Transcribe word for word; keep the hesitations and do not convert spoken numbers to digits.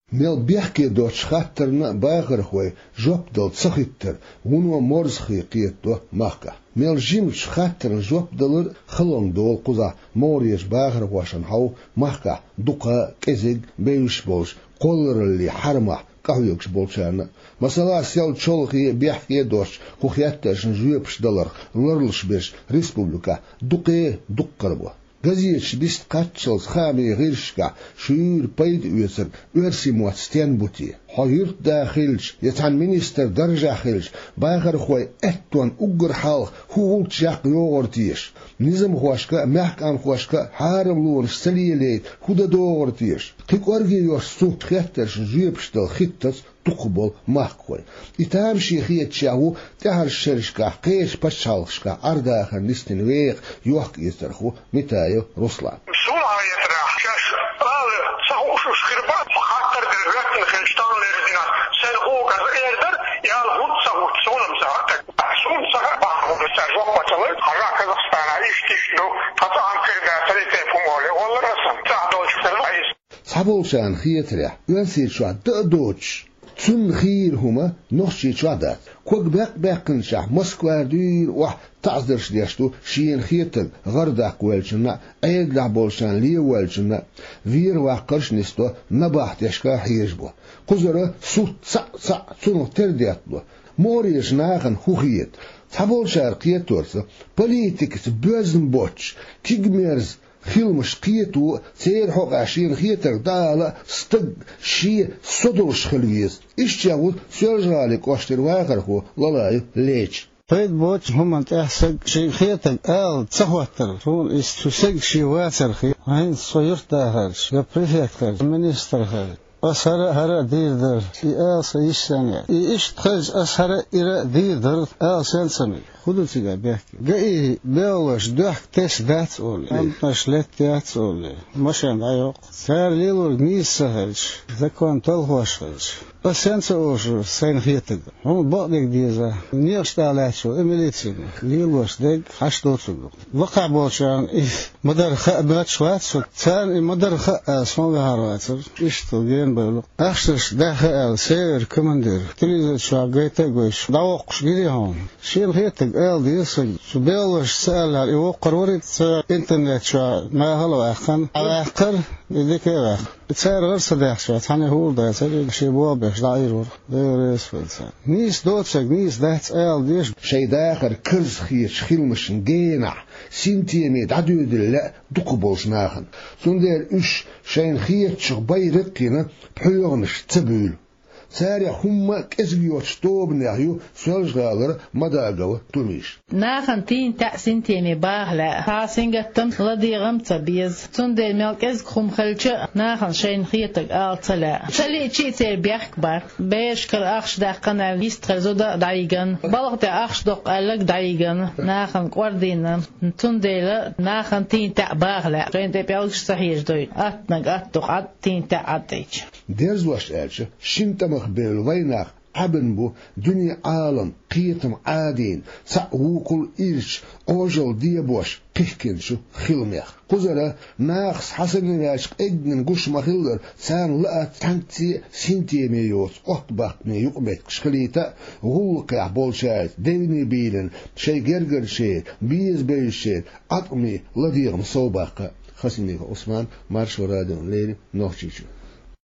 Мел бехке доцучу хаттарна бахархой жоп дала ца хиттар вуно морзахе кхетадо махкахь. Мел жимачу хаттарна жоп далар халонга долу кхузахь могӀарерчу бахархошна хьовха махкахь дукха а, кӀезиг а бевзаш болчу кхоллараллин хьарамах къахьоьгуш болчарна а. Масала, сел чолхе а, бехке а доцучу кху хеттаршна жоьпаш даларх ларлуш берш республикехь дукха а дуккха а бу. Газеташ бист кхаччалц хаамийн гӀирсашкахь шуьйра пайда оьцург оьрсийн мотт стен бу те? Хьо юьртда хилча я цхьана министран даржехь хилча, бахархой аьттонна уггар хьалха хӀун гӀулч яккха йогӀур теша? Низамхошка а, маьхкамхошка а хьарамлонаш ца лелайта хӀун дан догӀур теша? Кхин кӀорге йоцу цу хеттаршна жоьпаш дала хиттаза дукхахболу махкахой. И тамаше хеташ а ву тӀаьхьарчу шерашкахь кхечу пачхьалкхашкахь Ӏар-дахар нисдина веха йохка-эцархо Митаев Руслан. Суна хетарехь, шаьш ала ца хууш уьш хир бац, хаттар дерг гӀоьттина хилча, тахана лерзина, сайн хӀума каза эр дара, и ала хӀунда ца хууш, суна-м ца хаьа. Суна ца хаьа, бахьана хӀума цара жоп ца луьйту, хьажа Казахстана иштта-иштта ду, тхан цхьа а хӀума хир дац, ца дитина хӀума олий, оллара аса, цхьа долчух тера иза. Цхьаболчарна хетарехь, Оьрсийчохь дан а доцуш, цунна хийра хӀума Нохчийчохь дац. Ког баьккхина-баьккхинчохь Москвара дуьйна охьа таӀзарш деш ду шена хетарг гӀар даккха воьллачунна а, Ӏедалехь болчарна лен воьллачунна а. Вер-ваккхарш а нисдо набахтешна дешка а хьежабо. Кхузара суц цхьаъ-цхьаъ цунах тера детталу. МогӀарерчу нахана хӀун хета? Цхьаболчара кхеторца, политикаца боьзна боцуш, кегамерза хиламаш кхето а, церан хьокъехь шена хетарг дӀаала а стаг шен со долуш хила веза. Иштта а ву Соьлжа-ГӀалин кӀоштара вахархо Лалаев Леча. Пайда боцучу хӀуманна тӀехь стаг шена хетарг ала ца хӀоттар, суна иза цу стага шен вацар хета. ХӀинца со юьртдахарчу, я префект хилча, я министр хилча, ас хӀара а, хӀара а дийр дара, и ала сан йиш сенна яц. И иштта хилча, ас хӀара а, ира а дийр дара ала сенна ца мега. ХӀун ду цигахь бехке? ГАИ белхалоша доьхка тесна дац олий, амтанаш летта яц олий, машен дӀайоккху. Цара лелорг нийса ца хилча, закон талхош хилча, ас сенна ца ошу сайна хетарг? Хьуна бакъдерг деза. Некъаш тӀехь лаьтташ ву и милицина. Лелош дерг хьашт доцург ду. Лакхахь болчарна и ма-дарра хаа моьттуш вац шуна. Царна и ма-дарра хаа ала суна ваьхьар вацара. Иштта гена бевлла. Ахчанаш даьхна аьлла, север командир, телевизор чохь гайта а гойтуш, дӀавоккхуш гирий хьуна? Шена хетарг ала деза сага. Цу белхалоша ца аьллехь, и воккхур варий, цу интернет чохь нахала а ваьккхина, а ваьккхар, и дика а ваьккхар. Цара гӀара ца даьхча, цхьанне хӀума дацара, и шен болх беш дӀаийр вара. Дела реза хуьлда царна. Нийса доцург нийса дац ала деза. Шайн дахар карзахетачу хиламашна генахь, синтеме дӀадоьдийла лаьа дукхахболчу нахана. Цундела уьш шайна хетачух байракх а йина, пхьоьгӀанаш ца буьйлу. Царех хӀумма а кӀезиг йоцучу тобанех ю Соьлжа-ГӀалара Мадагова Тумиша. Нахана тийна таьӀ, синтеме баха лаьа. Цхьа сингаттам а, ладегӀам а ца беза. Цундела мел кӀезиг хӀума хилча а, нахана шайна хетарг ала ца лаьа. Ца лиъча а церан бехк бац. Берашкара ахча даьккхина аьлла, йистхир зуда а дӀайигна. Балха тӀе ахча доккху аьлларг дӀайигна. Нахана кӀордийна. Цундела нахана тийна таьӀ баха лаьа. Шайна тӀе пӀелгаш ца хьежадойту. Аттанарг атта ду, Ӏад, тийна таьӀ Ӏад дайча. Дерзош аьлча, шина тӀамах бевлла вайнах Ӏабина бу дуьне-Ӏалам кхетам Ӏадийна, цхьаъ вукхул ирча, Ӏожалла дебош кхихкинчу хиламех. Кхузара нахаца хьан санна ваьлча къеггина гуш ма-хиллара, царна лаьа цхьаьнцца а синтеме йоцу оттабаккхаме юкъаметтигаш хилийта а, гӀуллакхехь болчаьрца девне бийлина шайн гергарчеран, беза бевзачеран Ӏаткъаме ладегӀам совбаккха а. Хасимиков Ӏусман, Маршо радиона леррина, Нохчийчоь.